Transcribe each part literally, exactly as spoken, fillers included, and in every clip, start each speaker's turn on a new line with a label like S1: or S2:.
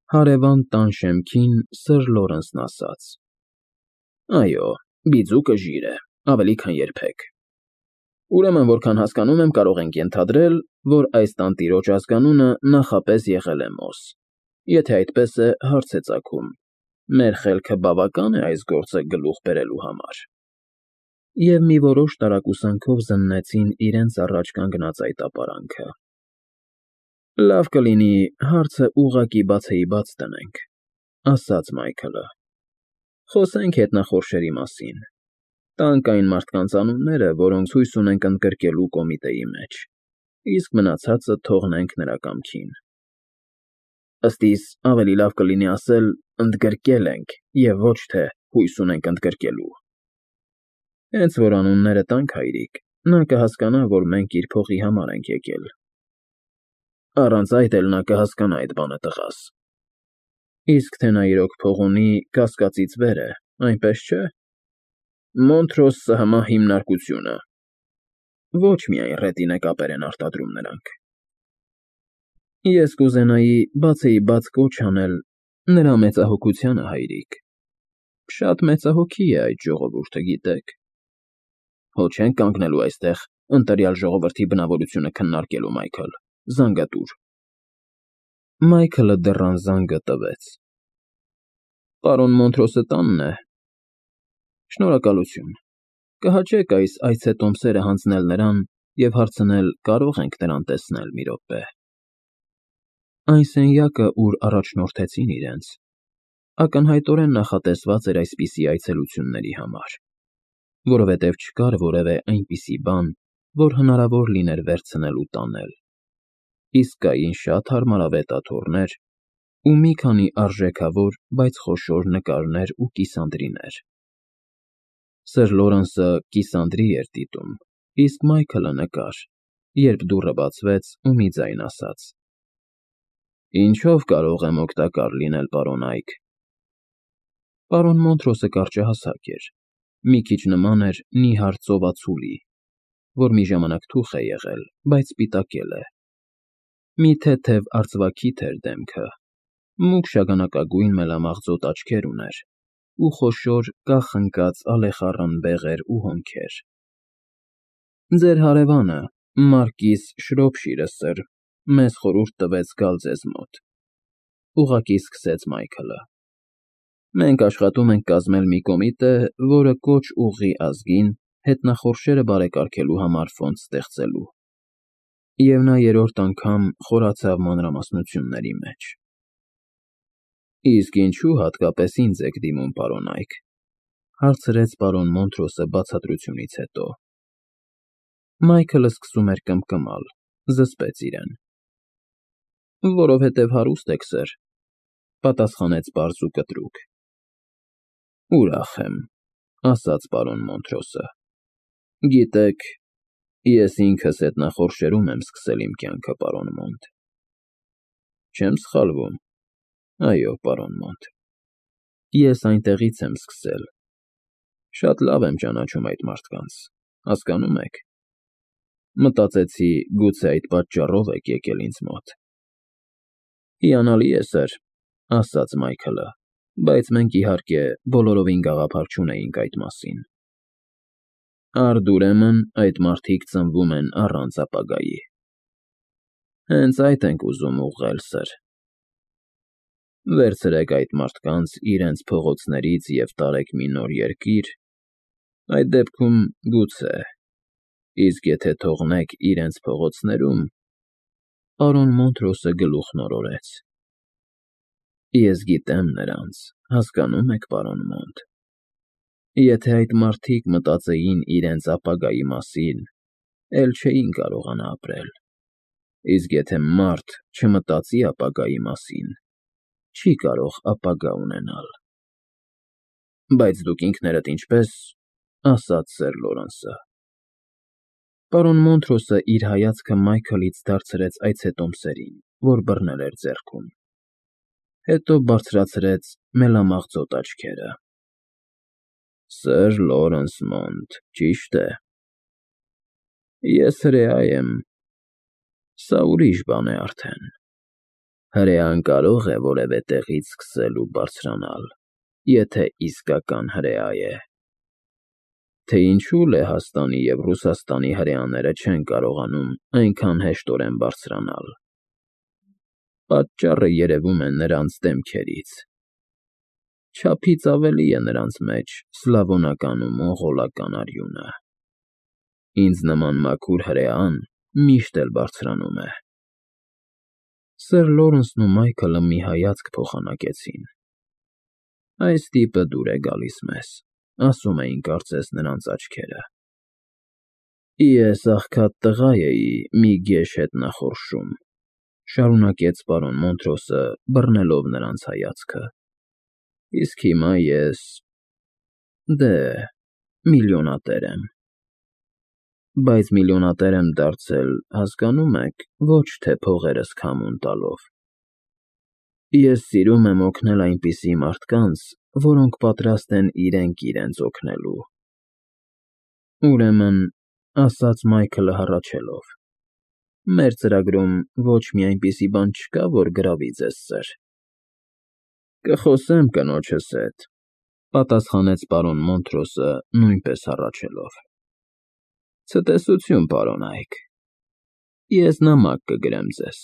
S1: Հարևան տան շեմքին Սըր Լորենսն ասաց. ֊ Այո, բիձուկը ժիր է, ավելի քան երբեք։ Ուրեմն, որքան հասկանում եմ, կարող ենք ենթադրել, որ այս տանտիրոջ ազգանունը նախապես եղել է Մոս։ Եթե այդպես է, հարց է ծագում. մեր խելքը բավակա՞ն է այս գործը գլուխ բերելու համար։ Եվ մի որոշ տարակուսանքով զննեցին իրենց առաջ կանգնած այդ ապարանքը։ Լավ կլինի հարցը ուղղակի բացեիբաց դնենք, ֊ ասաց Մայքլը։ Խոսենք հետնախորշերի մասին։ Տանք այն մարդկանց անունները, որոնք ցույց ունենք ընդգրկելու կոմիտեի մեջ, իսկ մնացածը թողնենք նրա կամքին։ Ըստ իս, ավելի լավ կլինի ասել «ընդգրկել ենք» և ոչ թե «հույս ունենք ընդգրկելու»։ Հենց որ անունները տանք, հայրիկ, նա կհասկանա, որ մենք իր փոխի համար ենք եկել։ Առանց այդ էլ նա կհասկանա այդ բանը, տղաս։ Իսկ թե նա իրոք փող ունի, կասկածից վեր է, այնպես չէ՞։ Մոնթրոս ՍՀՄ հիմնարկությունը։ Ոչ միայն ռետինե կապեր են արտադրում նրանք։ Ես կուզենայի բացեիբաց կոչ անել նրա մեծահոգությանը, հայրիկ։ Շատ մեծահոգի է այդ ժողովուրդը, գիտեք։ Հո չենք կանգնելու այստեղ ընտրյալ ժողովրդի բնավորությունը քննարկելու, Մայքլ, զանգը տուր։ Մայքլը դռան զանգը տվեց։ Պարոն Մոնթրոսը տանն է։ Շնորհակալություն։ Կհաճեք այս այցետոմսերը հանձնել նրան և հարցնել կարո՞ղ ենք նրան տեսնել մի րոպե։ Այն սենյակը, ուր առաջնորդեցին իրենց, ակնհայտորեն նախատեսված էր այսպիսի այցելությունների համար, որովհետև չկար որևէ այնպիսի բան, որ հնարավոր լիներ վերցնել ու տանել, իսկ կային շատ հարմարավետ աթոռներ ու մի քանի արժեքավոր, բայց խոշոր նկարներ ու կիսանդրիներ։ Սըր Լորենսը կիսանդրի էր դիտում, իսկ Մայքլը նկար, երբ դուռը բացվեց ու մի ձայն ասաց. Ինչո՞վ կարող եմ օգտակար լինել, պարոն Այք։ Պարոն Մոնթրոսը կարճահասակ էր, մի քիչ նման էր նիհար ծովածուլի, որ մի ժամանակ թուխ է եղել, բայց սպիտակել է։ Մի թեթև արծվաքիթ էր դեմքը, մուգ շագանակագույն մելամաղձոտ աչքեր ուներ ու խոշոր կախ ընկած ալեխառն բեղեր ու հոնքեր։ Ձեր հարևանը, մարկիս Շրոփշիրը, սըր, մեզ խորհուրդ տվեց գալ ձեզ մոտ, ուղղակի սկսեց Մայքլը։ Մենք աշխատում ենք կազմել մի կոմիտե, որը կոչ ուղղի ազգին հետնախորշերը բարեկարգելու համար ֆոնդ ստեղծելու։ Եվ նա երրորդ անգամ խորացավ մանրամասնությունների մեջ։ Իսկ ինչու հատկապես ինձ եք դիմում, պարոն Այք, ֊ հարցրեց պարոն Մոնթրոսը բացատրությունից հետո։ Մայքլը սկսում էր կմկմալ, զսպեց իրեն։ Որովհետև հարուստ եք, սըր, ֊ պատասխանեց պարզ ու կտրուկ։ Ուրախ եմ, ֊ ասաց պարոն Մոնթրոսը։ Գիտեք, ես ինքս հետնախորշերում եմ սկսել իմ կյանքը, պարոն Մոնտ։ Չեմ սխալվում։ Այո, պարոն Մոնտ, ես այնտեղից եմ սկսել։ Շատ լավ եմ ճանաչում այդ մարդկանց, հասկանո՞ւմ եք։ Մտածեցի, գուցե այդ պատճառով եք եկել ինձ մոտ։ Հիանալի է, սըր, ֊ ասաց Մայքլը, բայց մենք, իհարկե, բոլորովին գաղափար չունեինք այդ մասին։ Արդ ուրեմն այդ մարդիկ ծնվում են առանց ապագայի։ Հենց այդ ենք ուզում ուղղել, սըր։ Վերցրեք այդ մարդկանց իրենց փողոցներից և տարեք մի նոր երկիր, այդ դեպքում գուցե, իսկ եթե թողնեք իրենց փողոցներում… Պարոն Մոնթրոսը գլուխն օրորեց։ Ես գիտեմ նրանց, հասկանո՞ւմ եք, պարոն Մոնտ։ Եթե այդ մարդիկ մտածեին իրենց ապագայի մասին, էլ չէին կարողանա ապրել, իսկ եթե մարդ չմտածի ապագայի մասին, չի կարող ապագա ունենալ։ Բայց դուք ինքներդ ինչպե՞ս, ֊ ասաց սըր Լորենսը։ Պարոն Մոնթրոսը իր հայացքը Մայքլից դարձրեց այցետոմսերին, որ բռնել էր ձեռքում, հետո բարձրացրեց մելամաղձոտ աչքերը։ Սըր Լորենս Մոնտ, ճիշտ է։ Ես հրեա եմ, սա ուրիշ բան է արդեն։ Հրեան կարող է որևէ տեղից սկսել ու բարձրանալ, եթե իսկական հրեա է։ Թե ինչու Լեհաստանի և Ռուսաստանի հրեաները չեն կարողանում այնքան հեշտորեն բարձրանալ։ Պատճառը երևում է նրանց դեմքերից։ Չափից ավելի է նրանց մեջ սլավոնական ու մոնղոլական արյունը։ Ինձ նման մաքուր հրեան միշտ էլ բարձրանում է։ Սըր Լորենսն ու Մայքլը մի հայացք փոխանակեցին։ Այս տիպը դուր է գալիս մեզ, ասում էին կարծես նրանց աչքերը։ Ես աղքատ տղա էի մի գեշ հետ նախորշում, շարունակեց պարոն Մոնտրոսը, բռնելով նրանց հայացքը, իսկ հիմա ես… դե, միլիոնատեր եմ։ Բայց միլիոնատեր եմ դարձել, հասկանո՞ւմ եք, ոչ թե փողերս քամուն տալով։ Ես սիրում եմ օգնել այնպիսի մարդկանց, որոնք պատրաստ են իրենք իրենց օգնելու։ Ուրեմն, ասաց Մայքլը հառաչելով, մեր ծրագրում ոչ մի այնպիսի բան չկա, որ գրավի ձեզ, սըր։ Կխոսեմ կնոջս հետ, պատասխանեց պարոն Մոնտրոսը, նույնպես հառաչելով։ Ցտեսություն, պարոն Այք, ես նամակ կգրեմ ձեզ։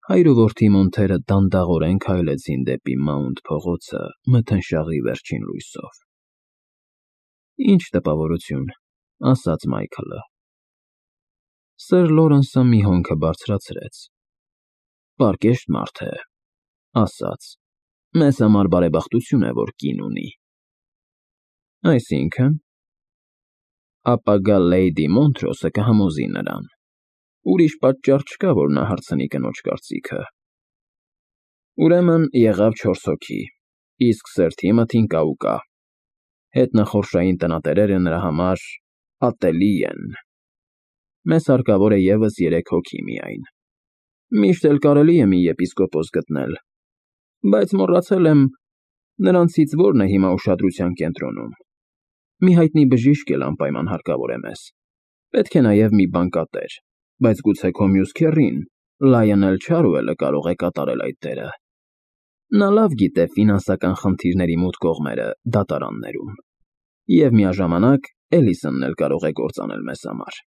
S1: Հայր ու որդի Մոնթերը դանդաղորեն քայլեցին դեպի Մաունտ փողոցը մթնշաղի վերջին լույսով։ Ինչ տպավորություն, ասաց Մայքլը։ Սըր Լորենսը մի հոնքը բարձրացրեց։ Պարկեշտ մարդ է, ասաց, մեզ համար բարեբախտություն է, որ կին ունի։ Այսինքն… ապագա Լեյդի Մոնտրոսը կհամոզի նրան։ Ուրիշ պատճառ չկա, որ նա հարցնի կնոջ կարծիքը։ Ուրեմն եղավ չորս հոգի, իսկ Սըր Թիմոթին կա ու կա։ Հետնախորշային տնատերերը նրա համար ատելի են։ Մեզ հարկավոր է ևս երեք հոգի միայն։ Միշտ էլ կարելի է մի եպիսկոպոս գտնել, բայց մոռացել եմ նրանցից որն է հիմա ուշադրության կենտրոնում։ Մի հայտնի բժիշկ էլ անպայման հարկավոր է մեզ։ Պետք է նաև մի բանկատեր, բայց գուցե քո մյուս քեռին, Լայոնել Չարուելը կարող է կատարել այդ դերը։ Նա լավ գիտե ֆինանսական խնդիրների մութ կողմերը դատարաններում։ Եվ միաժամանակ Էլիսոնն էլ կարող է կործանել մեզ համար։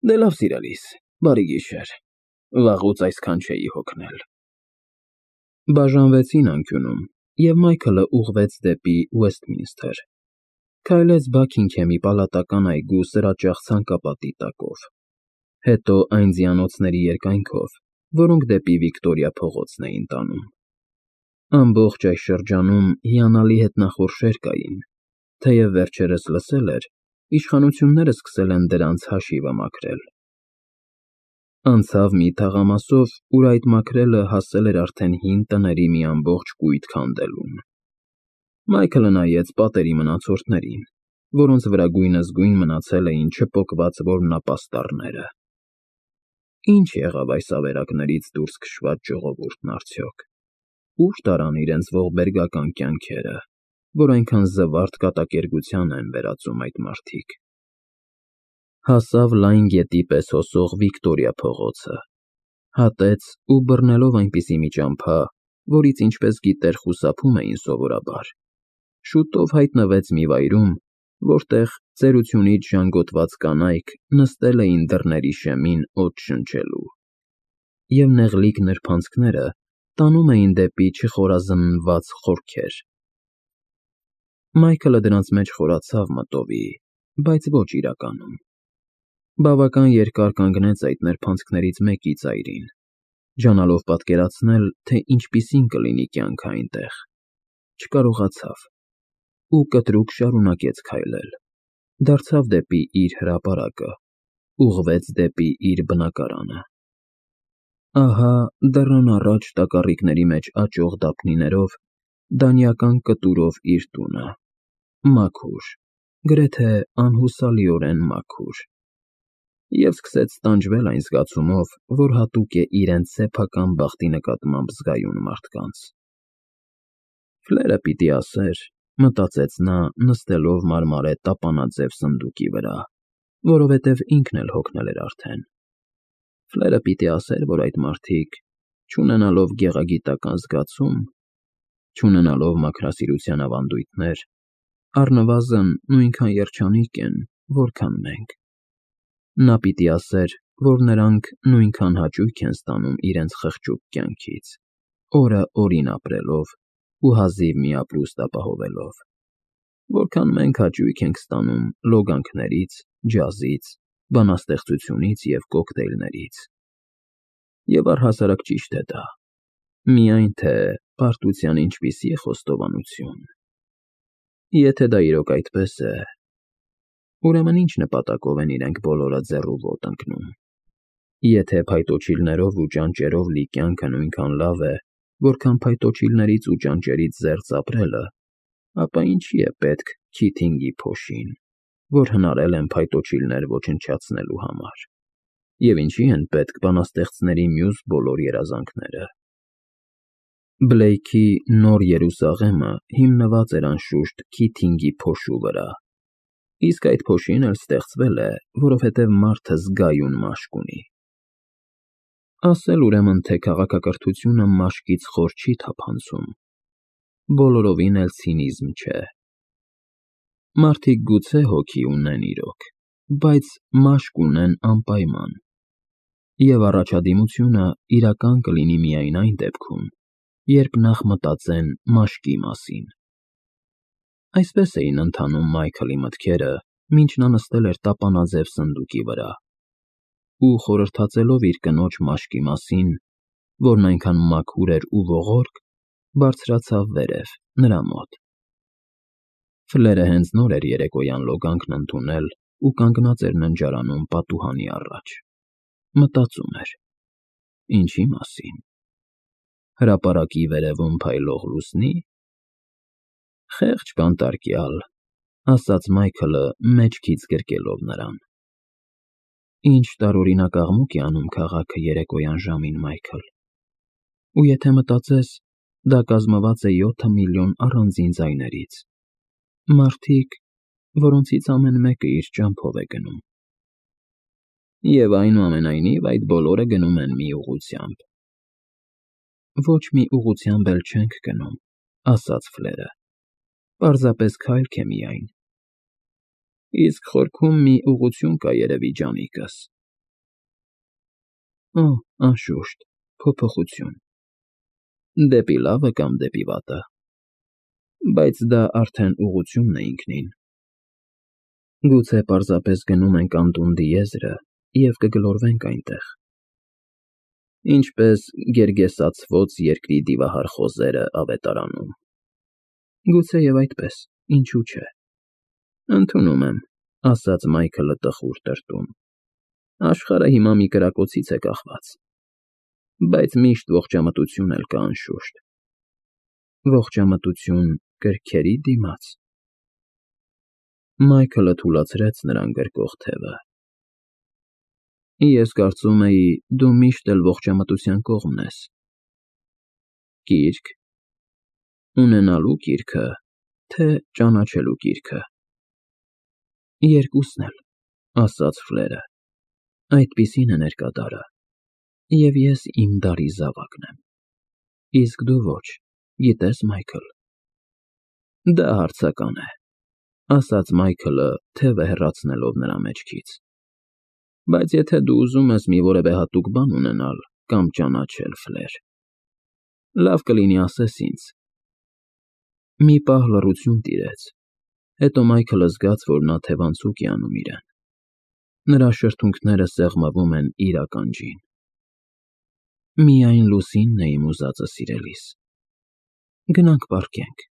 S1: Դե լավ, սիրելիս, բարի գիշեր, վաղուց այսքան չէի հոգնել։ Բաժանվեցին անկյունում, և Մայքլը ուղղվեց դեպի Ուեսթմինսթր, քայլեց Բաքինգհեմի պալատական այգու սրաճախ ցանկապատի տակով, հետո այն ձիանոցների երկայնքով, որոնք դեպի Վիկտորիա փողոցն էին տանում։ Ամբողջ այս շրջանում հիանալի հետնախորշեր կային, թեև վերջերս լսել էր, իշխանությունները սկսել են դրանց հաշիվը մաքրել։ Անցավ մի թաղամասով, ուր այդ մաքրելը հասել էր արդեն հին տների մի ամբողջ կույտ քանդելուն։ Մայքլը նայեց պատերի մնացորդներին, որոնց վրա գույնզգույն մնացել էին չպոկված որմնապաստառները։ Ինչ եղավ այս ավերակներից դուրս քշված ժողովուրդն արդյոք։ Ուր տարան իրենց ողբերգական կյանքերը, որ այնքան զվարթ կատակերգության են վերածում այդ մարդիկ։ Հասավ լայն գետի պես հոսող Վիկտորիա փողոցը, հատեց ու բռնելով այնպիսի մի ճամփա, որից ինչպես գիտեր խուսափում էին սովորաբար, շուտով հայտնվեց մի վայրում, որտեղ ծերությունից ժանգոտված կանայք նստել էին դռների շեմին օդ շնչելու, և նեղլիկ նրբանցքները տանում էին դեպի չխորազննված խորքեր։ Մայքլը դրանց մեջ խորացավ մտովի, բայց ոչ իրականում։ Բավական երկար կանգնեց այդ նրբանցքներից մեկի ծայրին, ջանալով պատկերացնել, թե ինչպիսին կլինի կյանքը այնտեղ։ Չկարողացավ ու կտրուկ շարունակեց քայլել, դարձավ դեպի իր հրապարակը, ուղղվեց դեպի իր բնակարանը։ Ահա դռան առաջ տակառիկների մեջ աճող դափնիներով, դանիական կտուրով իր տունը, մաքուր, գրեթե անհուսալիորեն մաքուր, և սկսեց տանջվել այն զգացումով, որ հատուկ է իրենց սեփական բախտի նկատմամբ զգայուն մարդկանց։ Ֆլերը պիտի ասեր, մտածեց նա, նստելով մարմարե տապանաձև սնդուկի վրա, որովհետև ինքն էլ հոգնել էր արդեն։ Ֆլերը պիտի ասեր, որ այդ մարդիկ չունենալով գեղագիտական զգացում, չունենալով մաքրասիրության ավանդույթներ, առնվազն նույնքան երջանիկ են, որքան մենք։ Նա պիտի ասեր, որ նրանք նույնքան հաճույք են ստանում իրենց խղճուկ կյանքից, օրը օրին ապրելով ու հազիվ մի ապրուստ ապահովելով, որքան մենք հաճույք ենք ստանում լոգանքներից, ջազից, բանաստեղծությունից և կոկտեյլներից։ Եվ առհասարակ ճիշտ է դա, միայն թե պարտության ինչպիսի է խոստովանություն։ Եթե դա իրոք այդպես է, ուրեմն ինչ նպատակով են իրենք բոլորը ձեռու ոտ ընկնում։ Եթե փայտոջիլներով ու ճանճերով լի կյանքը նույնքան լավ է, որքան փայտոջիլներից ու ճանճերից զերծ ապրելը, ապա ինչի է պետք Քիթինգի փոշին, որ հնարել են փայտոջիլներ ոչնչացնելու համար, և ինչի են պետք բանաստեղծների մյուս բոլոր երազանքները։ Բլեյքի Նոր Երուսաղեմը հիմնված էր անշուշտ Քիթինգի փոշու վրա, իսկ այդ փոշին էլ ստեղծվել է, որովհետև մարդը զգայուն մաշկ ունի։ Ասել ուրեմն, թե քաղաքակրթությունը մաշկից խոր չի թափանցում, բոլորովին էլ ցինիզմ չէ։ Մարդիկ գուցե հոգի ունեն իրոք, բայց մաշկ ունեն անպայման, և առաջադիմությունը իրական կլինի միայն այն դեպքում, երբ նախ մտածեն մաշկի մասին։ Այսպես էին ընթանում Մայքլի մտքերը, մինչ նա նստել էր տապանաձև սնդուկի վրա ու խորհրդածելով իր կնոջ մաշկի մասին, որն այնքան մաքուր էր ու ողորկ, բարձրացավ վերև, նրա մոտ։ Ֆլերը հենց նոր էր երեկոյան լոգանքն ընդունել ու կանգնած էր ննջարանում պատուհանի առաջ։ Մտածում էր. ինչի մասին։ Հրապարակի վերևում փայլող լուսնի՞։ Խեղճ բանտարկյալ, ասաց Մայքլը մեջքից գրկելով նրան։ Ինչ տարօրինակ աղմուկ է անում քաղաքը երեկոյան ժամին, Մայքլ, ու եթե մտածես, դա կազմված է յոթ միլիոն առանձին ձայներից, մարդիկ, որոնցից ամեն մեկը իր ճամփով է գնում։ Եվ այնուամենայնիվ այդ բոլորը գնում են մի ուղղությամբ։ Ոչ մի ուղղությամբ էլ չենք գնում, ասաց Ֆլերը, պարզապես քայլք է միայն։ Իսկ խորքում մի ուղղություն կա երևի, ջանիկս։ Օ, անշուշտ, փոփոխություն։ Դեպի լավը կամ դեպի վատը։ Բայց դա արդեն ուղղությունն է ինքնին։ Գուցե պարզապես գնում ենք Անտունդի եզրը և կգլորվենք այնտեղ։ Ինչպես գերգեսացված երկրի դիվահար խոզերը ավետարանում։ Գուցեև այդպես, ինչու՞ չէ։ Ընդունում եմ, ասաց Մայքլը տխուր տրտում։ Աշխարհը հիմա մի կրակոցից է կախված։ Բայց միշտ ողջամտություն էլ կա, անշուշտ։ Ողջամտություն կրքերի դիմաց։ Մայքլը թուլացրեց նրան գրկող թևը։ Ես կարծում էի, դու միշտ էլ ողջամտության կողմն ես։ Կիրք։ Ունենալու կիրքը, թե ճանաչելու կիրքը։ Երկուսն էլ, ասաց Ֆլերը։ Այդպիսին է ներկա դարը, և ես իմ դարի զավակն եմ։ Իսկ դու ոչ, գիտես, Մայքլ։ Դա հարցական է, ասաց Մայքլը, թևը հեռացնելով նրա մեջքից։ Բայց եթե դու ուզում ես մի որևէ հատուկ բան ունենալ կամ ճանաչել, Ֆլեր, լավ կլինի ասես ինձ։ Մի պահ լռություն տիրեց, հետո Մայքլը զգաց, որ նա թևանցուկ է անում իրեն։ Նրա շրթունքները սեղմվում են իր ականջին։ Միայն լուսինն է իմ ուզածը, սիրելիս։ Գնանք պառկենք։